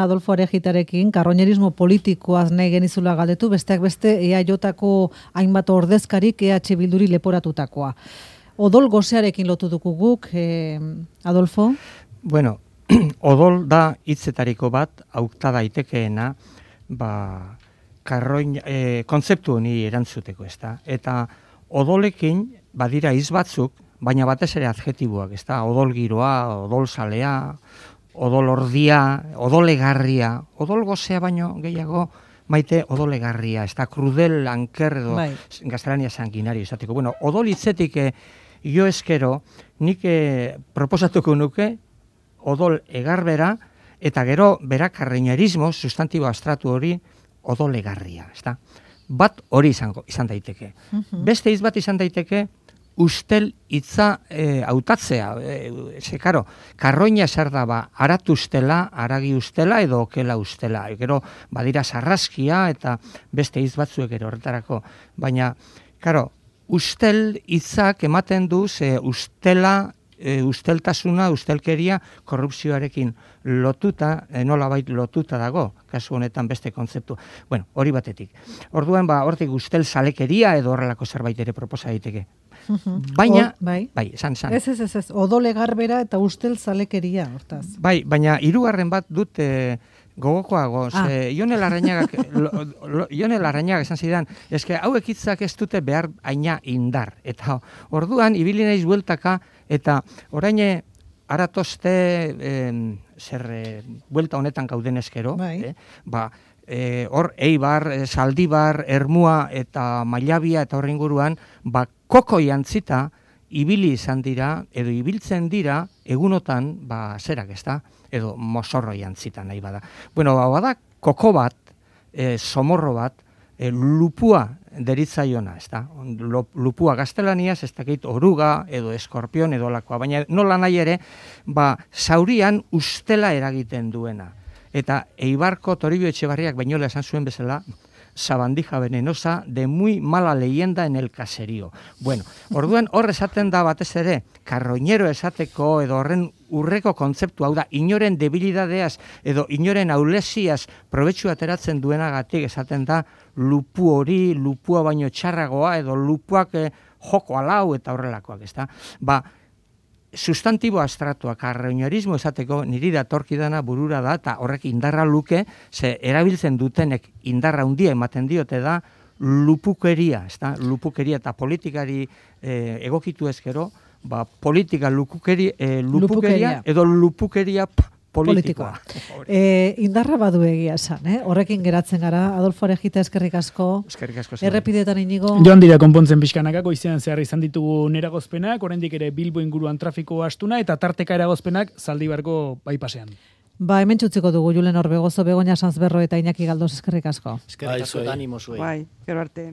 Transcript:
Adolfo Arejitarekin, karroñerismo politikoaz nahi genizula galdetu, besteak beste EAJ-ko hainbat ordezkarik EH Bilduri leporatutakoa. Odol gosearekin lotu dugu guk, Adolfo? Bueno, odol da hitzetariko bat, aukta daitekeena, kontzeptu honi erantzuteko, ezta? Eta odolekin badira hitz batzuk, baina batez ere adjetiboak, ezta? Odol giroa, odol salea, odol ordia, odolegarria, odol gozea baino gehiago maite odolegarria, ez da krudel anker edo gaztelania sanguinario izateko. Bueno, odol hitzetik jo eskero, nik proposatuko nuke odol egarbera eta gero bera karroñerismo, sustantibo abstratu hori odolegarria, ez da? Bat hori izan daiteke. Beste hitz bat izan daiteke ustel hitza hautatzea. Karo, karroina zer da aratu ustela, aragi ustela edo okela ustela. Gero badira sarraskia eta beste hitz batzuek ere horretarako. Baina, karo, ustel hitzak ematen du ustela, usteltasuna, ustelkeria, korrupzioarekin lotuta, nolabait lotuta dago, kasu honetan beste kontzeptu. Bueno, hori batetik. Orduan, hortik ustel salekeria edo horrelako zerbait ere proposa daiteke. Baina, esan. Ez, odole garbera eta ustel zalekeria, hortaz. Baina hirugarren bat dut gogokoago, Ionel Larrañaga esan zidan, eske hauek hitzak ez dute behar aina indar. Eta orduan, ibili naiz bueltaka, eta orain aratozte buelta honetan gauden eskero, hor Eibar, Zaldibar, Ermua eta Mailabia eta horren inguruan, koko jantzita ibili izan dira, edo ibiltzen dira, egunotan, zerak ez da, edo mozorro jantzita nahi bada. Bueno, bada koko bat, somorro bat, lupua deritzaiona, ez da. Lupua gaztelaniaz, ez dakit oruga, edo eskorpion, edo lakoa. Baina nola nahi ere, zaurian ustela eragiten duena. Eta Eibarko Toribio Etxebarriak bainola esan zuen bezala, sabandija venenosa de muy mala leyenda en el caserío. Bueno, orduan hor esaten da batez ere, karroñero esateko edo horren urreko kontzeptu hau da, inoren debilidadeaz edo inoren aulesiaz probetxu ateratzen duenagatik esaten da lupu hori, lupua baino txarragoa edo lupuak joko alau eta horrelakoak, ez da? Sustantibo abstratua, karroñerismo esateko niri datorkidana burura da, eta horrek indarra luke, erabiltzen dutenek indarra handia ematen diote da, lupukeria, ez da? Lupukeria eta politikari egokitu ezkero, politika lupukeria edo lupukeria politikoa. Indarra badu egia esan, horrekin geratzen gara. Adolfo Arejita, eskerrik asko. Eskerrik asko. Errepidetan Inigo. Joan dira konpontzen pixkanakako, izenan zehar izan ditugu eragozpenak, oraindik ere Bilbo inguruan trafiko astuna, eta tarteka eragozpenak Zaldibarko bypassean. Hemen txutziko dugu Julen Orbegozo, Begoña Sanzberro eta Iñaki Galdos, eskerrik asko. Eskerrik asko, animo zuei. Gero arte.